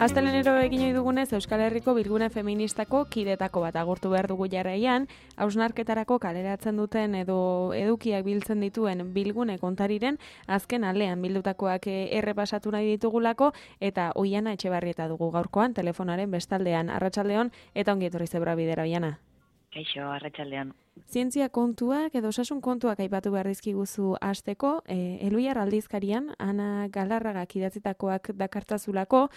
Astelenero egin ohi dugunez Euskal Herriko Bilgune Feministako kidetako bat agurtu behar dugu jarraian, hausnarketarako kaleratzen duten edo edukiak biltzen dituen Bilgune kontariren azken alean bildutakoak errepasatu nahi ditugulako, eta Oiana Etxebarrieta dugu gaurkoan telefonaren bestaldean. Arratsaldeon eta ongi etorri Zebra Bidera, Oiana. Kaixo, arratsaldeon. Zientzia kontuak edo osasun kontuak aipatu behar dizkiguzu hasteko, Elhuyar aldizkarian Ana Galarragak idatzitakoak dakartzazulako,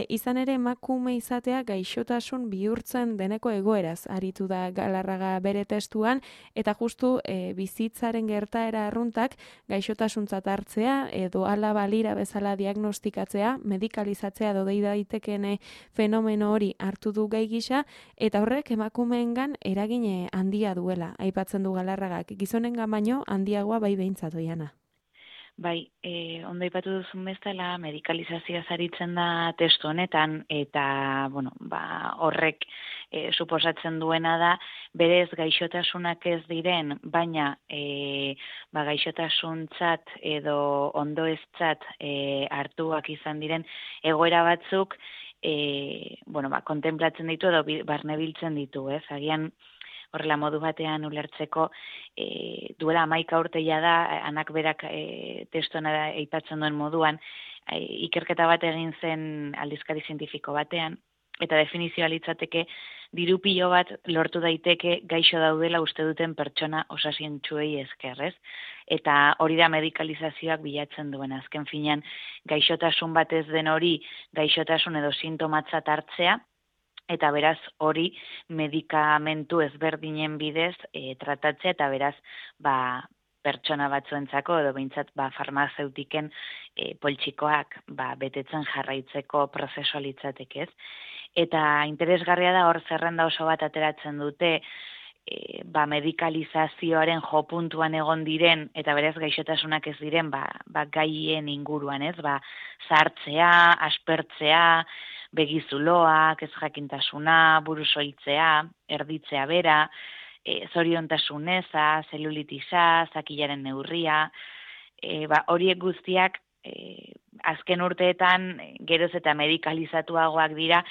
izan ere emakume izatea gaixotasun bihurtzen deneko egoeraz aritu da Galarraga bere testuan, eta justu bizitzaren gertaera arruntak gaixotasuntzat hartzea edo hala balira bezala diagnostikatzea, medikalizatzea edo dei daitekeen fenomeno hori hartu du gai gisa, eta horrek emakumeengan eragin handia duela. Aipatzen du Galarragak, gizonengan baino handiagoa bai behintzat, Oiana. Bai, ondo aipatu duzun bezala, medikalizazioa aritzen da testu honetan, eta horrek suposatzen duena da, berez gaixotasunak ez diren, baina gaixotasuntzat edo ondoeztzat hartuak izan diren egoera batzuk, kontemplatzen ditu edo barnebiltzen ditu, ez? Agian horrela modu batean ulertzeko, duela 11 urte da, Anak berak testuan aipatzen duen moduan, ikerketa bat egin zen aldizkari zientifiko batean, eta definizioa litzateke diru pilo bat lortu daiteke gaixo daudela uste duten pertsona osasuntsuei esker, ez? Eta hori da medikalizazioak bilatzen duen. Azken finean, gaixotasun bat ez den hori, gaixotasun edo sintomatzat hartzea, eta beraz hori medikamentu ezberdinen bidez tratatzea, eta beraz pertsona batzuentzako edo behintzat farmazeutiken poltsikoak betetzen jarraitzeko prozesua litzateke, ez? Eta interesgarria da hor zerrenda oso bat ateratzen dute medikalizazioaren jo puntuan egon diren eta beraz gaixotasunak ez diren gaien inguruan, ez? Zahartzea, aspertzea, begizuloak, ez jakintasuna, burusoiltzea, erditzea bera, zoriontasun eza, zelulitisa, zakilaren neurria, horiek guztiak azken urteetan geroz eta medikalizatuagoak dira,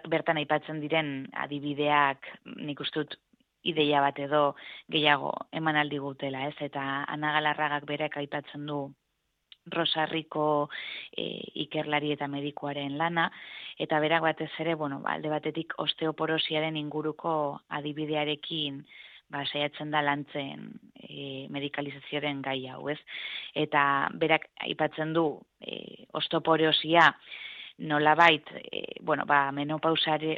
bertan aipatzen diren adibideak nik uste dut ideia bat edo gehiago eman aldi gutela, ez? Eta Ana Galarragak berak aipatzen du Rosarriko ikerlari eta medikuaren lana, eta berak batez ere, alde batetik osteoporosiaren inguruko adibidearekin saiatzen da lantzen medikalizazioaren gai hau, ez? Eta berak aipatzen du osteoporosia nolabait,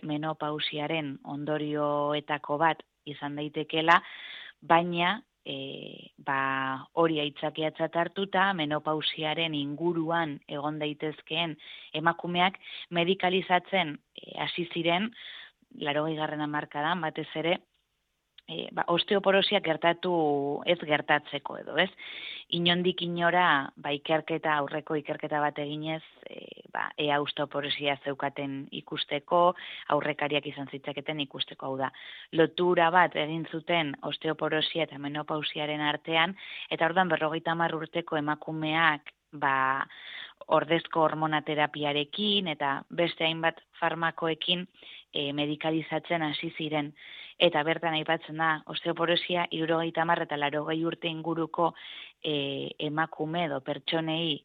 menopausiaren ondorioetako bat izan daitekela, baina hori aitzakiatzat hartuta, menopausiaren inguruan egon daitezkeen emakumeak medikalizatzen hasi ziren 80. hamarkadan batez ere, osteoporosia ez gertatzeko edo, ez? Inondik inora, aurreko ikerketa bat eginez, ea osteoporosia zeukaten ikusteko, aurrekariak izan zitzaketen ikusteko, hau da. Lotura bat egin zuten osteoporosia eta menopausiaren artean, eta orduan 50 urteko emakumeak, ordezko hormonaterapiarekin eta beste hainbat farmakoekin medikalizatzen hasi ziren. Eta bertan aipatzen da, osteoporosia 70 eta 80 urte inguruko emakume edo pertsonei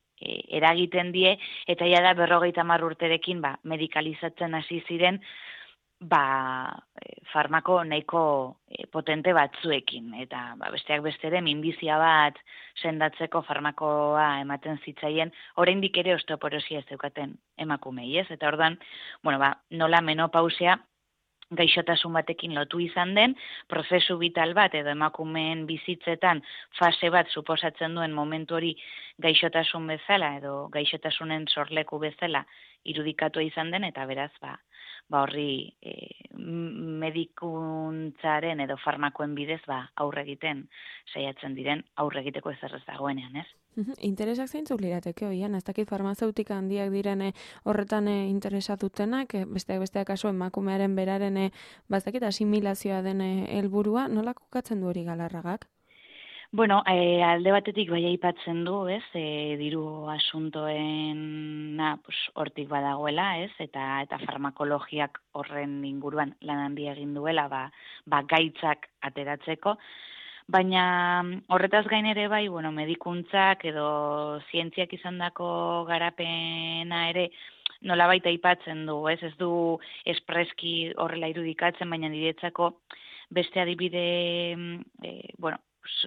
eragiten die, eta ja da 50 urterekin medikalizatzen hasi ziren farmako nahiko potente batzuekin. Eta besteak beste ere minbizia bat sendatzeko farmakoa ematen zitzaien, oraindik ere osteoporosia ez zeukaten emakumei, ez? Eta orduan, nola menopausia gaixotasun batekin lotu izan den, prozesu vital bat edo emakumeen bizitzetan fase bat suposatzen duen momentu hori gaixotasun bezala edo gaixotasunen sorleku bezala irudikatua izan den, eta beraz horri medikuntzaren edo farmakoen bidez aurre egiten saiatzen diren, aurre egiteko ezer ez dagoenean, ez? Interesak zeintzuk lirateke, Oiana, ez dakit farmazeutika handiak diren horretan interesatutenak, besteak kasu emakumearen beraren ez dakit asimilazioa den helburua, nola kokatzen du hori Galarragak? Bueno, alde batetik bai aipatzen du, ez, diru asuntoena pues, hortik badagoela, ez, eta farmakologiak horren inguruan lan handia egin duela, ba gaitzak ateratzeko, baina horretaz gain ere bai, bueno, medikuntzak edo zientziak izandako garapena ere nolabait aipatzen du, ez du espreski horrela irudikatzen, baina niretzako beste adibide, bueno,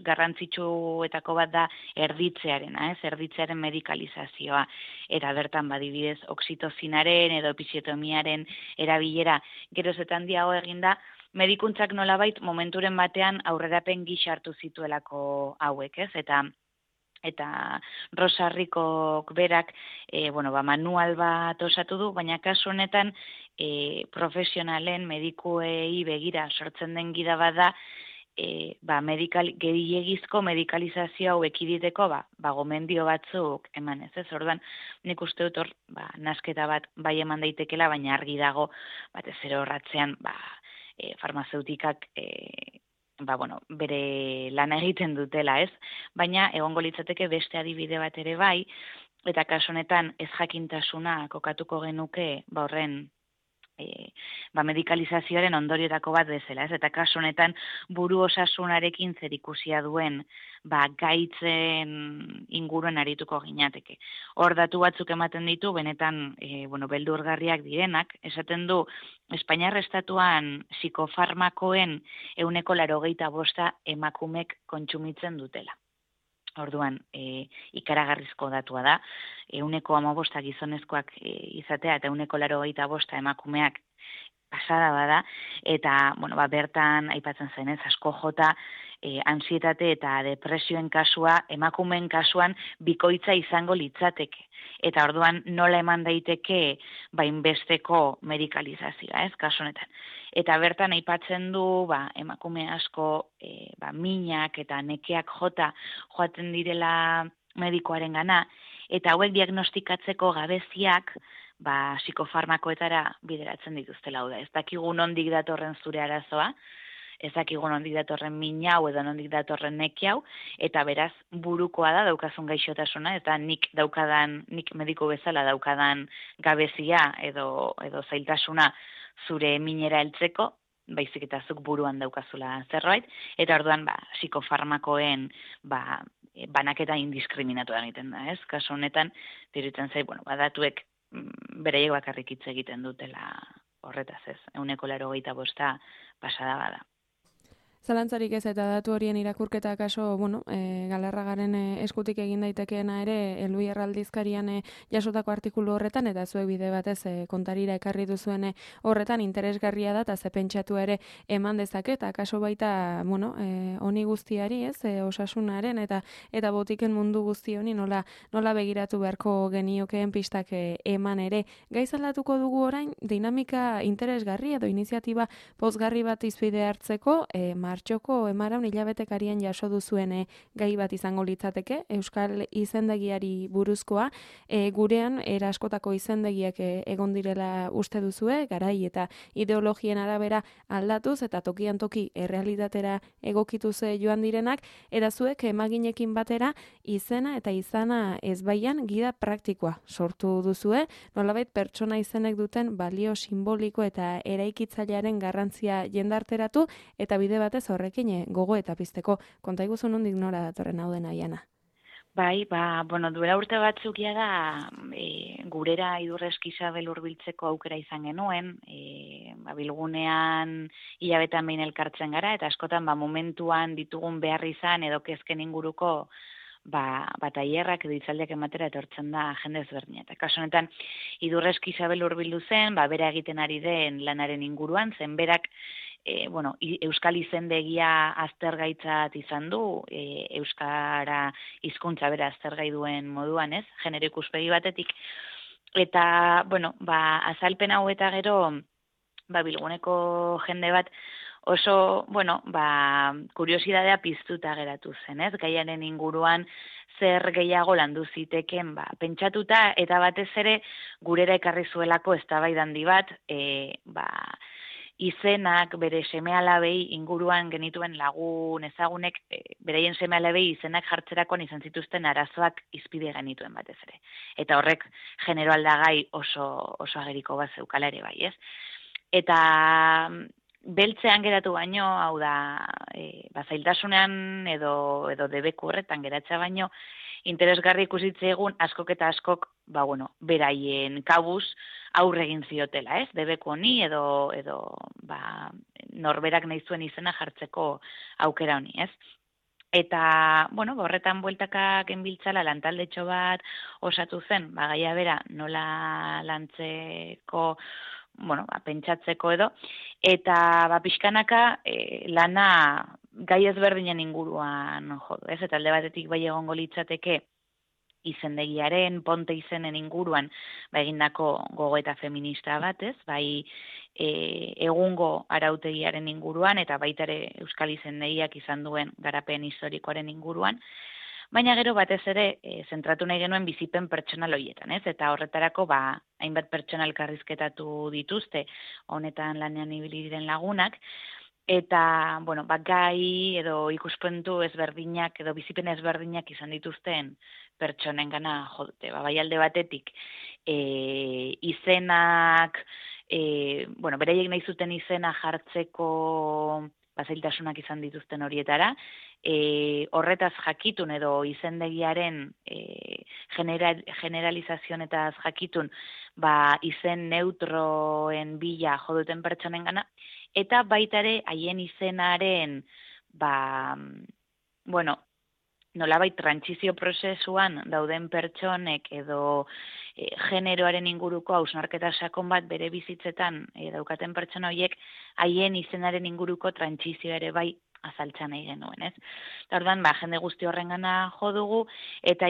garrantzitsuetako bat da erditzearena, erditzearen medikalizazioa, eta bertan badibidez oksitozinaren edo episiotomiaren erabilera geroz eta handiago eginda, medikuntzak nolabait momenturen batean aurrerapen gisa hartu zituelako hauek, eta Rosa Ricok berak manual bat osatu du, baina kasu honetan profesionalen medikuei begira sortzen den gida bada, gehiegizko medikalizazio hau ekiditeko, gomendio batzuk eman ez. Orduan, nik uste dut hor, nasketa bat bai eman daitekela, baina argi dago, batez ere horratzean, farmazeutikak, bere lana egiten dutela, ez? Baina, egongo litzateke beste adibide bat ere bai, eta kasu honetan ez jakintasuna kokatuko genuke, horren, medikalizazioaren ondorioetako bat bezala, ez? Eta kasu honetan buru osasunarekin zerikusia duen gaitzen inguruen arituko ginateke. Hor datu batzuk ematen ditu, benetan beldurgarriak direnak, esaten du Espainiar estatuan psikofarmakoen 85% emakumek kontsumitzen dutela. Orduan, ikaragarrizko datua da, 15% gizonezkoak izatea eta 85% emakumeak pasada bada, eta bertan aipatzen zenez, asko jota, ansietate eta depresioen kasua, emakumeen kasuan bikoitza izango litzateke. Eta orduan nola eman daiteke inbesteko medikalizazioa, ez, kasu honetan. Eta bertan aipatzen du, emakume asko minak eta nekeak jota joaten direla medikoaren gana, eta hauek diagnostikatzeko gabeziak psikofarmakoetara bideratzen dituztela. Ez dakigu nondik datorren zure arazoa, ez dakigu nondik datorren minau edo nondik datorren nekiau, eta beraz burukoa da daukazun gaixotasuna, eta nik mediku bezala daukadan gabezia edo zailtasuna zure minera heltzeko, baizik eta zuk buruan daukazula zerbait, eta orduan psikofarmakoen banaketa indiskriminatua egiten da, ez? Kasu honetan, diruditzen zait, datuek beraiek bakarrik hitz egiten dutela horretaz, ez? 85% pasada bada. Zalantzarik ez eta datu horien irakurketa kaso, Galarragaren eskutik egin daitekeena ere, Elui Erraldizkarian jasotako artikulu horretan, eta zuek bide batez kontarira ekarri duzuen horretan interesgarria da, eta ze pentsatu ere eman dezake, eta kaso baita, honi guztiari, ez, osasunaren, eta botiken mundu guzti honi nola begiratu beharko geniokeen pistak eman ere. Gaizalatuko dugu orain, dinamika interesgarri edo iniziatiba pozgarri bat izbide hartzeko, martxoko emaraun hilabetekarian jaso duzuen gai bat izango litzateke, Euskal izendegiari buruzkoa, gurean eraskotako izendegiak egon direla uste duzue, garai eta ideologien arabera aldatuz, eta tokian toki errealitatera egokituz joan direnak, eta zuek emaginekin batera izena eta izana ezbaian gida praktikoa sortu duzue, nolabait pertsona izenek duten balio simboliko eta eraikitzailearen garrantzia jendarteratu, eta bide batez horrekin gogo eta pizteko. Konta iguzu nondik nora datorren hau dena, Iana? Bai, duela urte batzuk da gurera Idurreski Isabel hurbiltzeko aukera izan genuen, bilgunean hilabetean behin elkartzen gara, eta askotan momentuan ditugun behar izan edo kezken inguruko tailerrak edo hitzaldiak ematera etortzen da jende ezberdina. Eta kasu honetan Idurreski Isabel hurbildu zen, bera egiten ari den lanaren inguruan, zen berak Euskal izendegia aztergaitzat izan du, Euskara hizkuntza bera aztergai duen moduan, ez? Genero ikuspegi batetik. Eta, azalpen hau eta gero, bilguneko jende bat oso, kuriosidadea piztuta geratu zen, ez? Gaiaren inguruan zer gehiago landu ziteken, pentsatuta eta batez ere gurera ekarri zuelako eztabaida handi bat, izenak bere seme-alabei inguruan genituen lagun ezagunek beraien seme-alabei izenak jartzerakoan izan zituzten arazoak izpide genituen batez ere. Eta horrek genero aldagai oso ageriko bat zeukala ere bai, ez? Eta beltzean geratu baino, hau da, zailtasunean edo debeku horretan geratzea baino, interesgarri ikusitze egun askok eta askok, beraien kabuz aurre egin ziotela, ez? Debeku honi edo norberak nahi zuen izena jartzeko aukera honi, ez? Eta, horretan bueltaka genbiltzala lantaldetxo bat osatu zen, gaia bera nola lantzeko, pentsatzeko edo, eta pixkanaka lana gai ezberdinen inguruan jodu, ez? Eta alde batetik bai egongo litzateke izendegiaren, ponte izenen inguruan egindako gogoeta feminista bat, ez? Bai egungo arautegiaren inguruan eta baita ere Euskal izendegiak izan duen garapen historikoaren inguruan, baina gero batez ere zentratu nahi genuen bizipen pertsonal horietan, ez? Eta horretarako hainbat pertsona elkarrizketatu dituzte honetan lanean ibili diren lagunak, eta gai edo ikuspuntu ezberdinak edo bizipen ezberdinak izan dituzten pertsonengana jo dute. Bai alde batetik izenak, beraiek nahi zuten izena jartzeko zailtasunak izan dituzten horietara, horretaz jakitun edo izendegiaren generalizazionetaz jakitun izen neutroen bila jo duten pertsonengana, eta baita ere haien izenaren nolabait trantsizio prozesuan dauden pertsonek edo generoaren inguruko hausnarketa sakon bat bere bizitzetan daukaten pertsona horiek haien izenaren inguruko trantsizioa ere bai azaltza nahi genuen, ez? Eta orduan, jende guzti horrengana jo dugu, eta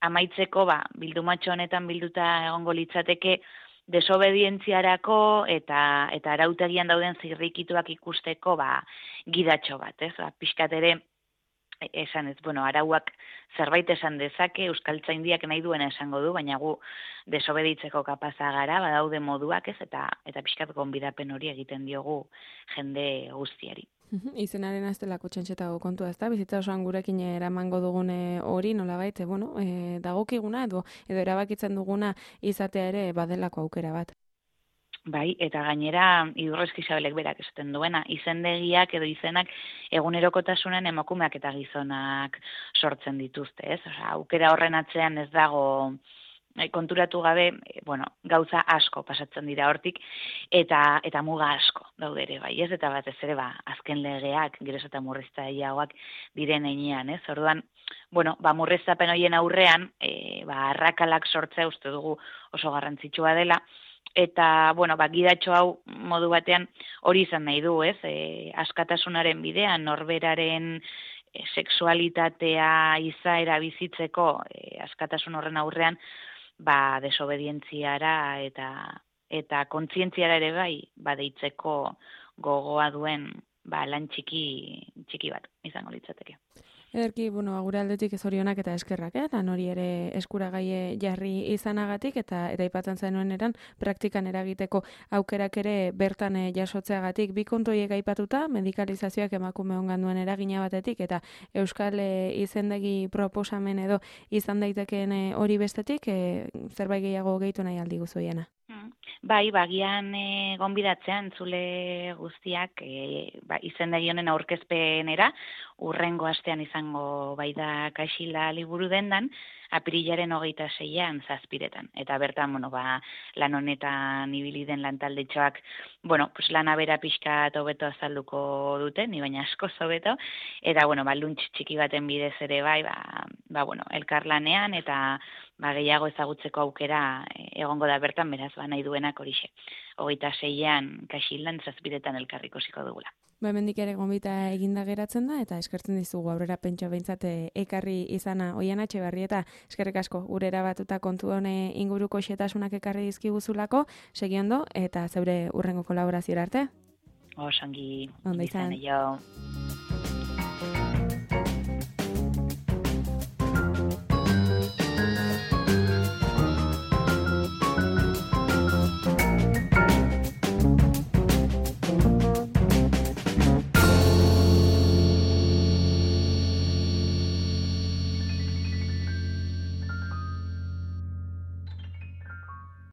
amaitzeko bildumatxo honetan bilduta egongo litzateke desobedientziarako eta arautegian dauden zirrikituak ikusteko gidatxo bat, ez? Pixkat ere esan ez, arauak zerbait esan dezake, euskaltzaindiak nahi duena esango du, baina gu desobeditzeko kapaza gara, badaude moduak, ez? Eta pixkat gonbidapen hori egiten diogu jende guztiari. Izenaren aztelako txantxetago kontua, ez da? Bizitza osoan gurekin eramango dugune hori, nolabait, dagokiguna edo erabakitzen duguna izatea ere badelako aukera bat. Bai, eta gainera Idurrezki Isabelek berak esaten duena, izendegiak edo izenak egunerokotasunen emakumeak eta gizonak sortzen dituzte, ez? Aukera horren atzean ez dago konturatu gabe, gauza asko pasatzen dira hortik, eta muga asko daude ere, bai, ez? Eta batez ere, azken legeak, geroz eta murriztaileagoak diren heinean, ez? Orduan, murriztapen horien aurrean, arrakalak sortzea uste dugu oso garrantzitsua dela, eta, gidatxo hau modu batean hori izan nahi du, ez? Askatasunaren bidean, norberaren sexualitatea izaera bizitzeko askatasun horren aurrean, desobedientziara eta kontzientziara ere bai, deitzeko gogoa duen lan txiki bat izango litzateke. Ederki, gure aldetik zorionak eta eskerrak, lan hori ere eskuragaie jarri izanagatik eta aipatzen zenuen eran praktikan eragiteko aukerak ere bertan jasotzeagatik. Bi kontu horiek aipatuta, medikalizazioak emakume ongan duen eragina batetik eta euskal izendegi proposamen edo izan daitekeen hori bestetik, zerbait gehiago gehitu nahi aldi guzoiena. Bai, bagian gonbidatzean zule guztiak izendegi honen aurkezpenera, urrengo astean izango da Kaxila liburu dendan, apirilaren 26an 7:00. Eta bertan, lan honetan ibili den lantaldetxoak, lana bera pixka hobeto azalduko dute, ni baina asko hobeto, eta, luntz txiki baten bidez ere bai, elkarlanean eta gehiago ezagutzeko aukera egongo da bertan, beraz, nahi duenak horixe. 26an Kaxilan 7:00 elkarrikusiko dugula. Hemendik ere gonbita eginda geratzen da, eta eskertzen dizugu aurrera pentsa behintzat ekarri izana Oiana Etxebarrieta, eskerrik asko gure erabatuta kontu hone inguruko xetasunak ekarri dizkiguzulako, segiondo, eta zeure urrengo kolaborazioa arte. Osongi, izan.